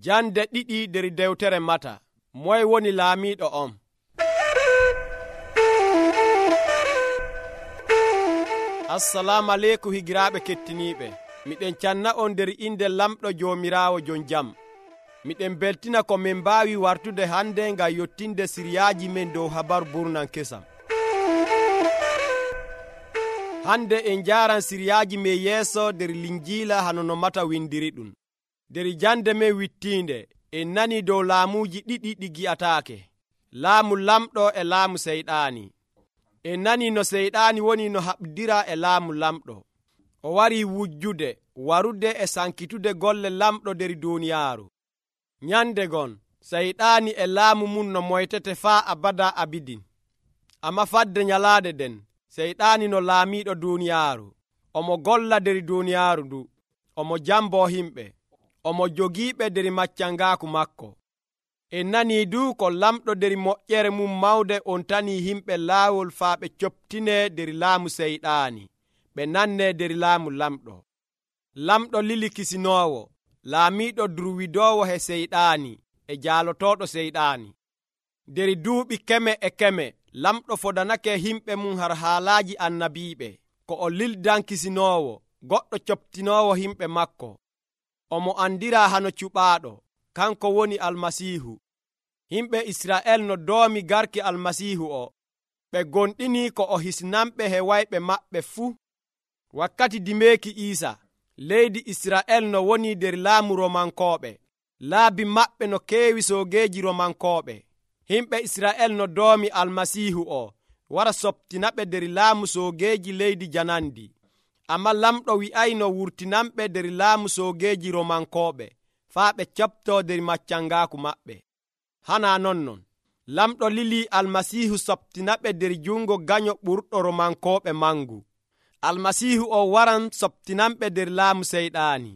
Jande ɗiɗi nder dewtere Mata. Moye woni laamiiɗo on? Assalamu aleykum higiraaɓe kettiniiɓe. Miɗen canna on nder inde lamɗo Joomiraawo jon jam. Miɗen beltina ko min mbaawi wartude hande ngam yottinde siriyaaji men dow habaru burnan kesam. Hande en njaaran siriyaaji men yeeso nder Linjiila hano no Mata windiri ɗum. Nder jande men wittiinde en nani dow laamuuji ɗiɗi ɗi gi'ataake: laamu lamɗo e laamu seyɗaani. En nani no seyɗaani woni no haɓdira e laamu lamɗo. O warii wujjude, warude e sankitude golle lamɗo nder duuniyaaru. Nyande gon seyɗaani e laamu mum no moytete faa abada abidin. Amma fadde nyalaade den, seyɗaani no laamiiɗo duuniyaaru. Omo golla nder duuniyaaru ndu, omo jamboo himɓe, omo jogiiɓe nder maccangaaku makko. En nanii du ko lamɗo nder moƴƴere mum mawde on tanii himɓe laawol faa ɓe coptinee nder laamu seyɗaani, ɓe nannee nder laamu lamɗo. Lamɗo lili kisinoowo, laamiiɗo durwidoowo he seyɗaani e jaalotooɗo seyɗaani. Nder duuɓi keme e keme, lamɗo fodanake himɓe mum har haalaaji annabiiɓe, ko o lildan kisinoowo, goɗɗo coptinoowo himɓe makko. Omo andiraa hano cuɓaaɗo, kanko woni Almasiihu. Himɓe Isra'el no doomi garki Almasiihu o, ɓe gonɗini ko o hisnanɓe he wayɓe maɓɓe fuu. Wakkati dimeeki Iisa, leydi Isra'el no woni nder laamu Romankooɓe. Laabi maɓɓe no keewi soogeeji Romankooɓe. Himɓe Isra'el no doomi Almasiihu o wara soptinaɓe nder laamu soogeeji leydi janandi. Amma lamɗo wi'ayno wurtinanɓe nder laamu soogeeji Romankooɓe faa ɓe coptoo nder maccangaaku maɓɓe. Hanaa non, lamɗo lilii Almasiihu soptinaɓe nder jungo ganyo ɓurɗo Romankooɓe mangu. Almasiihu o waran soptinanɓe nder laamu seyɗaani.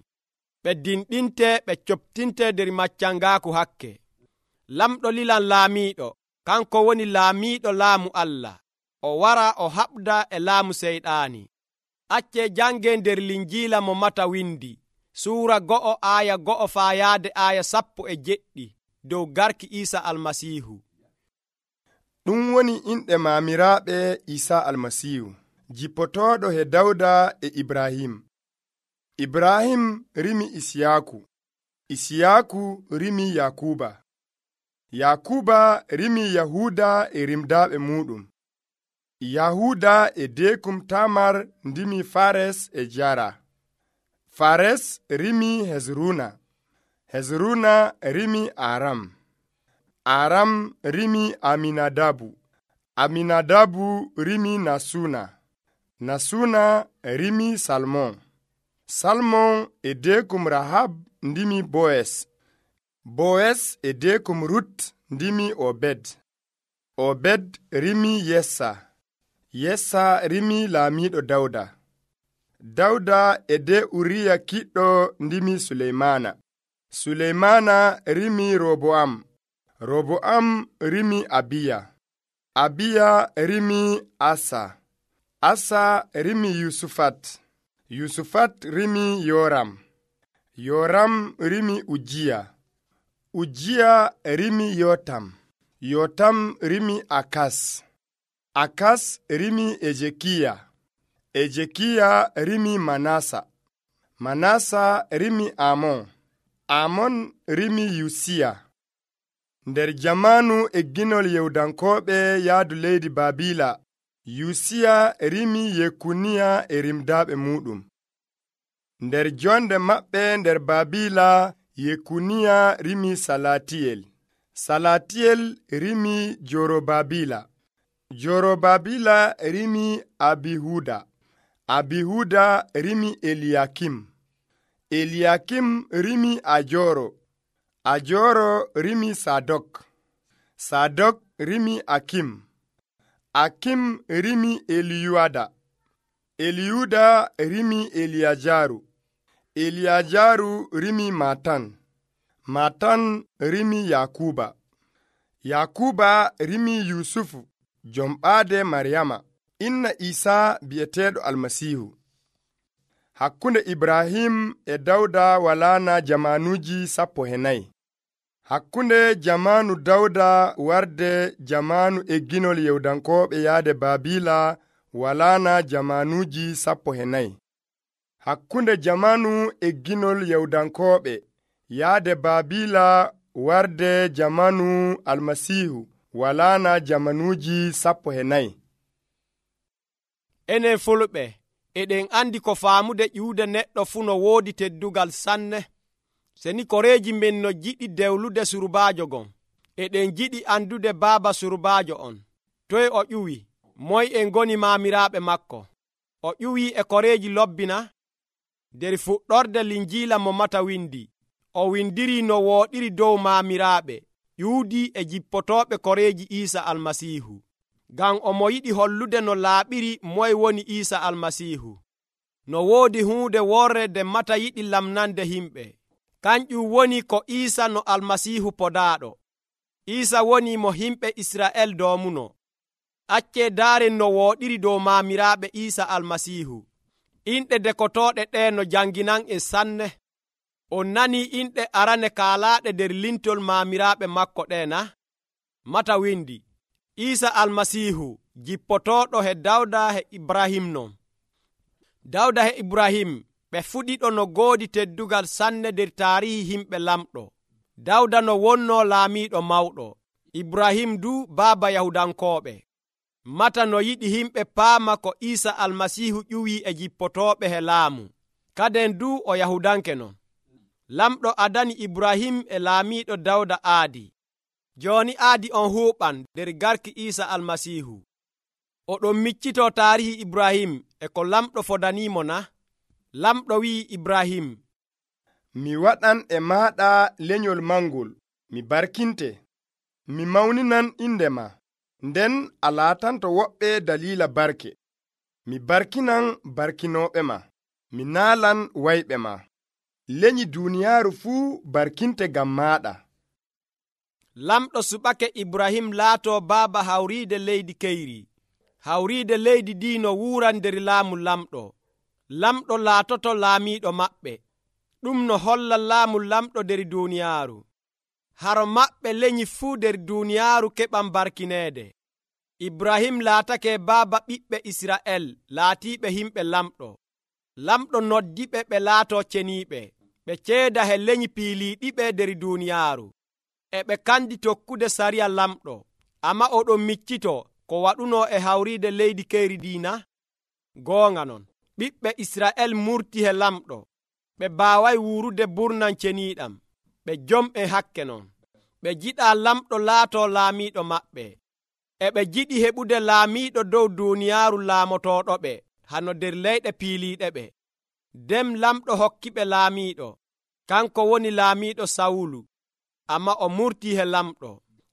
Ɓe dinɗinte ɓe coptinte nder maccangaaku hakke. Lamɗo lilan laamiiɗo, kanko woni laamiiɗo laamu Allah. O wara o haɓda e laamu seyɗaani. Accee jange nder Linjiila mo Mata windi, suura 1 aaya 1 faa yaade aaya 17 dow garki Iisa Almasiihu. Ɗum woni inɗe maamiraaɓe Iisa Almasiihu, jippotooɗo he Dawda e Ibrahim. Ibrahim rimi Isiyaaku, Isiyaaku rimi Yakuba, Yakuba rimi Yahuuda e rimdaaɓe muuɗum. Yahuuda e deekum Tamar ndimi Fares e Jara. Fares rimi Hezruna, Hezruna rimi Aram, Aram rimi Aminadabu, Aminadabu rimi Nasuna, Nasuna rimi Salmon, Salmon e deekum Rahab ndimi Boes, Boes e deekum Rut ndimi Obed, Obed rimi Yessa, Yessa rimi laamiiɗo Dawda, Dawda e de Uriya kiɗɗo ndimi Suleymana, Suleymana rimi Roboam, Roboam rimi Abiya, Abiya rimi Asa, Asa rimi Yusufat, Yusufat rimi Yoram, Yoram rimi Ujiya, Ujiya rimi Yotam, Yotam rimi Akas, Akas rimi Ejekiya, Ejekiya rimi Manasa, Manasa rimi Amon, Amon rimi Yusiya. Nder jamanu egginol Yewdankooɓe yaadu leydi Babila, Yusiya rimi Yekuniya e rimdaaɓe muuɗum. Nder jonde maɓɓe nder Babila, Yekuniya rimi Salatiyel, Salatiyel rimi Jorobabila, Jorobabila rimi Abihuda, Abihuda rimi Eliyakim, Eliyakim rimi Ajoro, Ajoro rimi Sadok, Sadok rimi Akim, Akim rimi Eliyuada, Eliyuda rimi Eliyajaru, Eliyajaru rimi Matan, Matan rimi Yakuba, Yakuba rimi Yusufu, jomɓaade Maryama, inna Iisa bi'eteeɗo Almasiihu. Hakkunde Ibrahim e Dawda walaana jamanuuji 14. Hakkunde jamaanu Dawda warde jamaanu egginol Yahudankooɓe yaade Baabila walaana jamaanuuji 14. Hakkunde jamaanu egginol Yahudankooɓe yaade Baabila warde jamaanu Almasiihu walaana jamaanuuji 14. Enen fulɓe eɗen andi ko faamude ƴiwde neɗɗo fuu no woodi teddugal sanne. Seni koreeji men no jiɗi dewlude surbaajo gon, eɗen jiɗi andude baaba surbaajo on. Toye o ƴuwi? Moy en goni maamiraaɓe makko? O ƴuwi e koreeji lobbina? Der fuɗɗorde Linjiila mo Mata windi, o windiri no wooɗiri dow maamiraaɓe, ƴuudi e jippotooɓe koreeji Iisa Almasiihu. Ngam omo yiɗi hollude no laaɓiri moye woni Iisa Almasiihu. No woodi huunde worre nde Mata yiɗi lamnande himɓe. Kanƴum woni ko Iisa no Almasiihu podaaɗo. Iisa woni mo himɓe Isra'el doomuno. Accee daaren no wooɗiri dow maamiraaɓe Iisa Almasiihu. Inɗe dekotooɗe ɗe no janginan en sanne. On nanii inɗe arane kaalaaɗe nder lintol maamiraaɓe makko ɗe na? Mata windi, Iisa Almasiihu jippotooɗo he Dawda he Ibrahim non. Dawda he Ibrahim ɓe fuɗiɗo no goodi teddugal sanne nder taarihi himɓe lamɗo. Dawda no wonnoo laamiiɗo mawɗo, Ibrahim du baaba Yahudankooɓe. Mata no yiɗi himɓe paama ko Iisa Almasiihu ƴuwii e jippotooɓe he laamu. Kaden du o Yahudanke non. Lamɗo adani Ibrahim e laamiiɗo Dawda aadi. Jooni aadi on huuɓan nder garki Iisa Almasiihu. Oɗon miccitoo taarihi Ibrahim e ko lamɗo fodaniimo na? Lamɗo wi'i Ibrahim, mi waɗan e maaɗa lenyol mangol, mi barkinte, mi mawninan inde ma, nden a laatanto woɓɓe daliila barke. Mi barkinan barkinooɓe ma, mi naalan wayɓe ma. Lenyi duuniyaaru fuu barkinte ngam maaɗa. Lamɗo suɓake Ibrahim laatoo baaba hawriide leydi keyri. Hawriide leydi diino wuuran nder laamu lamɗo. Lamɗo laatoto laamiiɗo maɓɓe. Ɗum no holla laamu lamɗo nder duuniyaaru. Haro maɓɓe lenyi fuu nder duuniyaaru keɓan barkineede. Ibrahim laatake baaba ɓiɓɓe Isra'el laatiiɓe himɓe lamɗo. Lamɗo noddiɓe ɓe laatoo ceniiɓe. Ɓe ceeda he lenyi piiliiɗiɓe nder duuniyaaru. E ɓe kandi tokkude sariya lamɗo. Amma oɗon miccito ko waɗunoo e hawriide leydi keyri diina? Goonga non. Ɓiɓɓe Isra'el murti he lamɗo. Ɓe baaway wuurude burnan ceniiɗam. Ɓe jom'e hakke non. Ɓe jiɗaa lamɗo laatoo laamiiɗo maɓɓe. E ɓe jiɗi heɓude laamiiɗo dow duuniyaaru laamotooɗoɓe hano nder leyɗe piiliiɗe ɓe. Nden lamɗo hokkiɓe laamiiɗo. Kanko woni laamiiɗo Sawulu. Amma o murtii he lamɗo.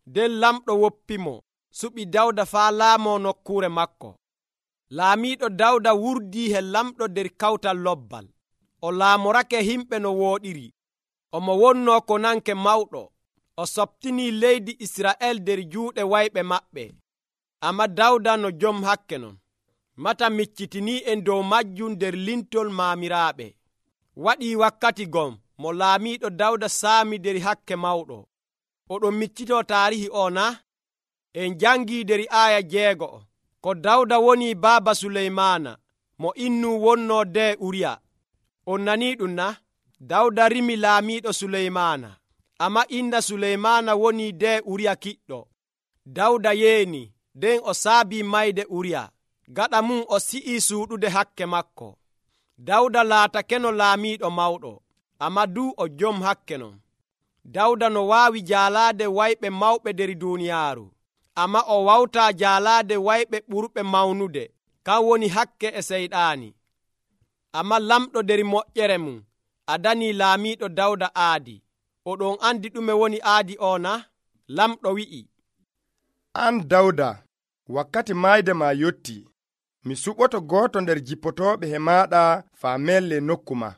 Nden lamɗo woppimo, suɓi Dawda faa laamoo nokkuure makko. Laamiiɗo Dawda wurdii he lamɗo nder kawtal lobbal. O laamorake himɓe no wooɗiri. Omo wonnoo ko nanke mawɗo. O soɓtinii leydi Isra'el nder juuɗe wayɓe maɓɓe. Amma Dawda no jom hakke non. Mata miccitinii en dow majjum nder lintol maamiraaɓe. Waɗii wakkati gom mo laamiiɗo Dawda saami nder hakke mawɗo. Oɗon miccitoo taarihi o na? En jangii nder aaya 6 ko Dawda woni baaba Suleymaana mo innuu wonnoo de Uriya. On nanii ɗum na? Dawda rimi laamiiɗo Suleymaana. Amma inna Suleymaana woni de Uriya kiɗɗo. Dawda yeeni, nden o saabii mayde Uriya. Gaɗa mum o si'ii suuɗude hakke makko. Dawda laatakeno laamiiɗo mawɗo. Amma du o jom hakke non. Dawda no waawi jaalaade wayɓe mawɓe nder duuniyaaru. Amma o wawtaa jaalaade wayɓe ɓurɓe mawnude. Kan woni hakke e seyɗaani. Amma lamɗo nder moƴƴere mum adanii laamiiɗo Dawda aadi. Oɗon andi ɗume woni aadi o na? Lamɗo wi'i, an Dawda, wakkati maayde ma yotti. Mi suɓoto gooto nder jippotooɓe he maaɗa faa melle nokku ma.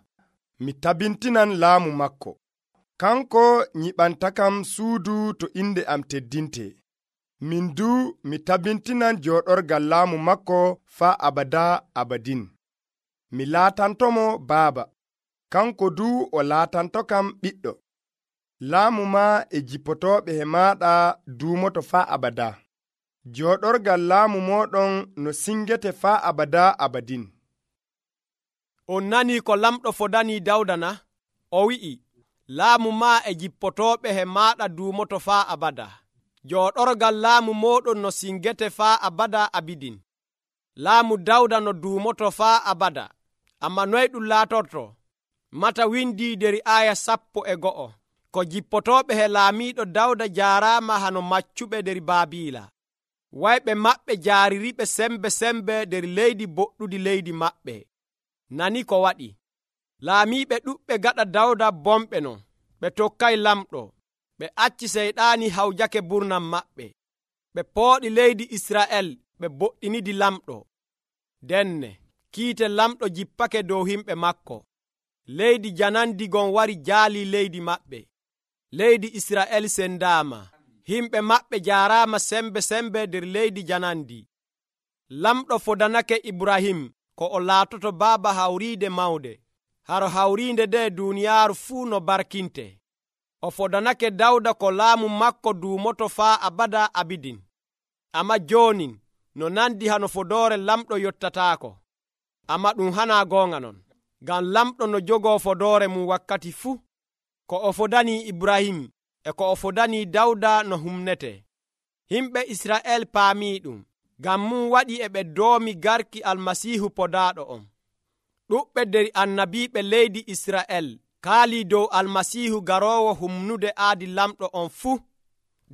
Mi tabintinan laamu makko. Kanko nyiɓantakam suudu to inde am teddinte. Min du mi tabintinan jooɗorgal laamu makko faa abada abadin. Mi laatantomo baaba. Kanko du o laatantokam ɓiɗɗo. laamu ma e jippotooɓe he maaɗa duumoto faa abada. Jooɗorgal laamu mooɗon no singete faa abada abadin. On nani ko lamɗo fodani Dawda na? O wi'i, laamu ma e jippotooɓe he maaɗa duumoto faa abada. Jooɗorgal laamu mooɗon no singete faa abada abidin. Laamu Dawda no duumoto faa abada. Amma noy ɗum laatorto? Mata windi der aya 11 ko jippotooɓe he laamiiɗo Dawda jaaraama hano maccuɓe der Baabiila. Wayɓe maɓɓe jaaririɓe sembe der leydi boɗɗudi leydi maɓɓe. Nani ko waɗi? Laamiiɓe ɗuɓɓe gaɗa Dawda bomɓe non. Ɓe tokkay lamɗo. Ɓe acci seyɗaani hawjake burnam maɓɓe. Ɓe pooɗi leydi Isra'el ɓe boɗɗinidi lamɗo. Denne kiite lamɗo jippake dow himɓe makko. Leydi janandi gon wari jaali leydi maɓɓe. Leydi Isra'el sendaama. Himɓe maɓɓe jaaraama sembe der leydi janandi. Lamɗo fodanake Ibrahim ko o laatoto baaba hawriide mawde. Haro hawriinde nde duuniyaaru fuu no barkinte. O fodanake Dawda ko laamu makko duumoto faa abada abidin. Amma joonin no nandi hano fodoore lamɗo yottataako. Amma ɗum hanaa goonga non. Ngam lamɗo no jogoo fodoore mum wakkati fuu. Ko o fodanii Ibrahim e ko o fodanii Dawda no humnete. Himɓe Isra'el paamii ɗum. Ngam mum waɗi e ɓe doomi garki Almasiihu podaaɗo on. Ɗuɓɓe der annabiiɓe leydi Isra'el kaalii dow Almasiihu garoowo humnude aadi lamɗo on fuu.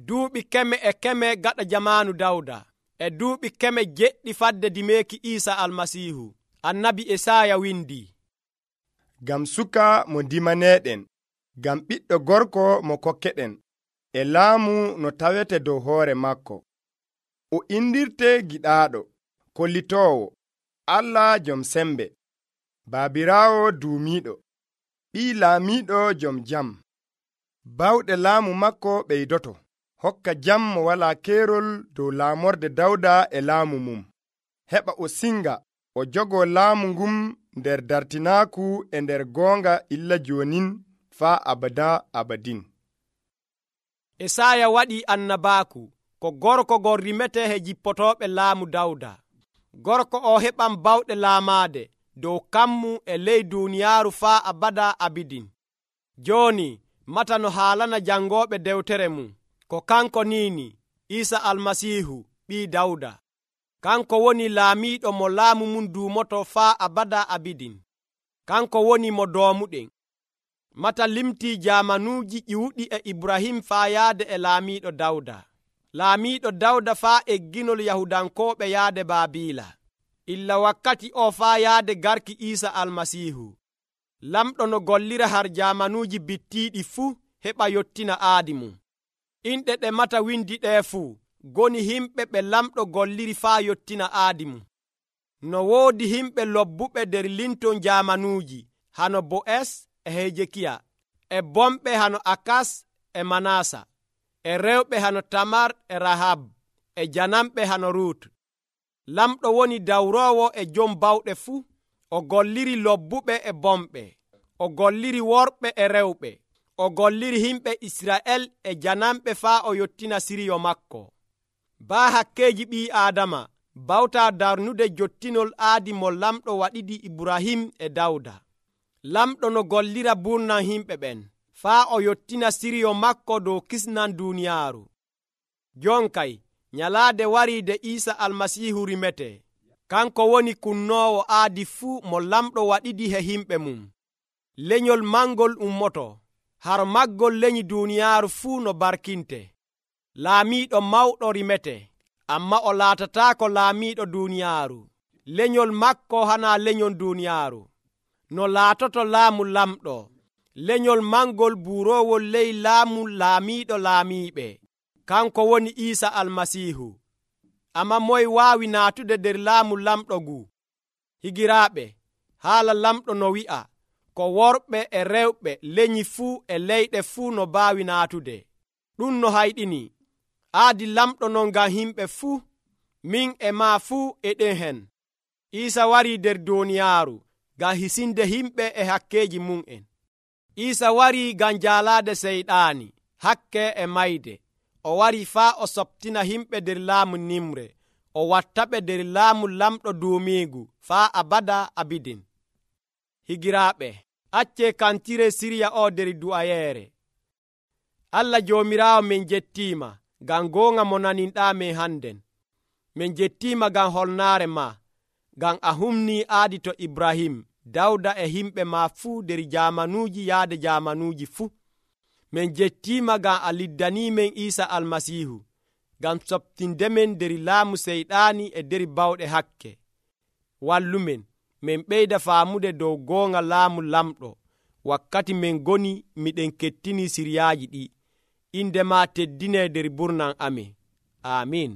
Duuɓi 100 gaɗa jamaanu Dawda e duuɓi 100 fadde dimeeki Iisa Almasiihu. Annabi Esaaya windi, ngam suka mo dimaneeɗen, ngam ɓiɗɗo gorko mo kokkeɗen, e laamu no tawete dow hoore makko. O indirte giɗaaɗo, kollitoowo, Allah jom sembe, baabiraawo duumiiɗo, ɓii laamiiɗo jom jam. Bawɗe laamu makko ɓeydoto, hokka jam mo walaa keerol dow laamorde Dawda e laamu mum. Heɓa o singa o jogoo laamu ngun nder dartinaaku e nder goonga illa joonin faa abada abadin. Esaaya waɗii annabaaku ko gorko gon rimete he jippotooɓe laamu Dawda. Gorko o heɓan bawɗe laamaade dow kammu e ley duuniyaaru faa abada abidin. Jooni mata no haalana jangooɓe dewtere mum ko kanko niini Iisa Almasiihu ɓii Dawda. Kanko woni laamiiɗo mo laamu mum duumoto faa abada abidin. Kanko woni mo doomuɗen. Mata limtii jaamanuuji ƴiwuɗi e Ibrahim faa yaade e laamiiɗo Dawda. Laamiiɗo Dawda faa egginol Yahudankooɓe yaade Baabiila. Illa wakkati o faa yaade garki Iisa Almasiihu. Lamɗo no gollira har jaamanuuji bittiiɗi fuu heɓa yottina aadi mum. Inɗe ɗe mata windi ɗee fuu goni himɓe ɓe lamɗo golliri faa yottina aadi mum. No woodi himɓe lobbuɓe der linton jaamanuuji hano Bo'es e Hejekiya, e bomɓe hano Akas e Manasa, e rewɓe hano Tamar e Rahab, e janamɓe hano Rut. Lamɗo woni dawroowo e jom bawɗe fuu. O golliri lobbuɓe e bomɓe. O golliri worɓe e rewɓe. O golliri himɓe Isra'el e janamɓe faa o yottina siriyo makko. Baa hakkeeji ɓii Aadama bawtaa darnude jottinol aadi mo lamɗo waɗidi Ibrahim e Dawda. Lamɗo no gollira burnam himɓe ɓen faa o yottina siriyo makko dow kisnan duuniyaaru. Jon kay nyalaade warii de Iisa Almasiihu rimete. Kanko woni kunnoowo aadi fuu mo lamɗo waɗidi he himɓe mum. Lenyol mangol ummoto, har maggol lenyi duuniyaaru fuu no barkinte. Laamiiɗo mawɗo rimete, amma o laatataako laamiiɗo duuniyaaru. Lenyol makko hanaa lenyon duuniyaaru. No laatoto laamu lamɗo, lenyol mangol buuroowol ley laamu laamiiɗo laamiiɓe. Kanko woni Iisa Almasiihu. Amma moy waawi naatude der laamu lamɗo ngu? Higiraaɓe, haala lamɗo no wi'a, ko worɓe e rewɓe lenyi fuu e leyɗe fuu no baawi naatude. Ɗum no hayɗini. Aadi lamɗo non ngam himɓe fuu. Min e maa fuu eɗen hen. Iisa warii der duuniyaaru ngam hisinde himɓe e hakkeeji mum'en. Iisa wari ngam jaalaade seyɗaani hakke e mayde. O wari faa o soptina himɓe nder laamu nimre, o wattaɓe nder laamu lamɗo duumiigu faa abada abidin. Higiraaɓe, acce kantire sirya o nder du'ayeere. Allah Joomiraawo, min jettiima ngam goonga mo naninɗaa men hannden. Min jettiima ngam holnaare ma, ngam a humnii aadi to Ibrahim, Dawda e himɓe ma fuu nder jaamanuuji yaade jaamanuuji fuu. Min jettiima ngam a liddaniimen Iisa Almasiihu, ngam soptindemen nder laamu seyɗaani e nder bawɗe hakke. Wallumen, min ɓeyda faamude dow goonga laamu lamɗo, wakkati min ngoni miɗen kettini siryaaji ɗi. Inde ma teddinee nder burnan amin. Amiin.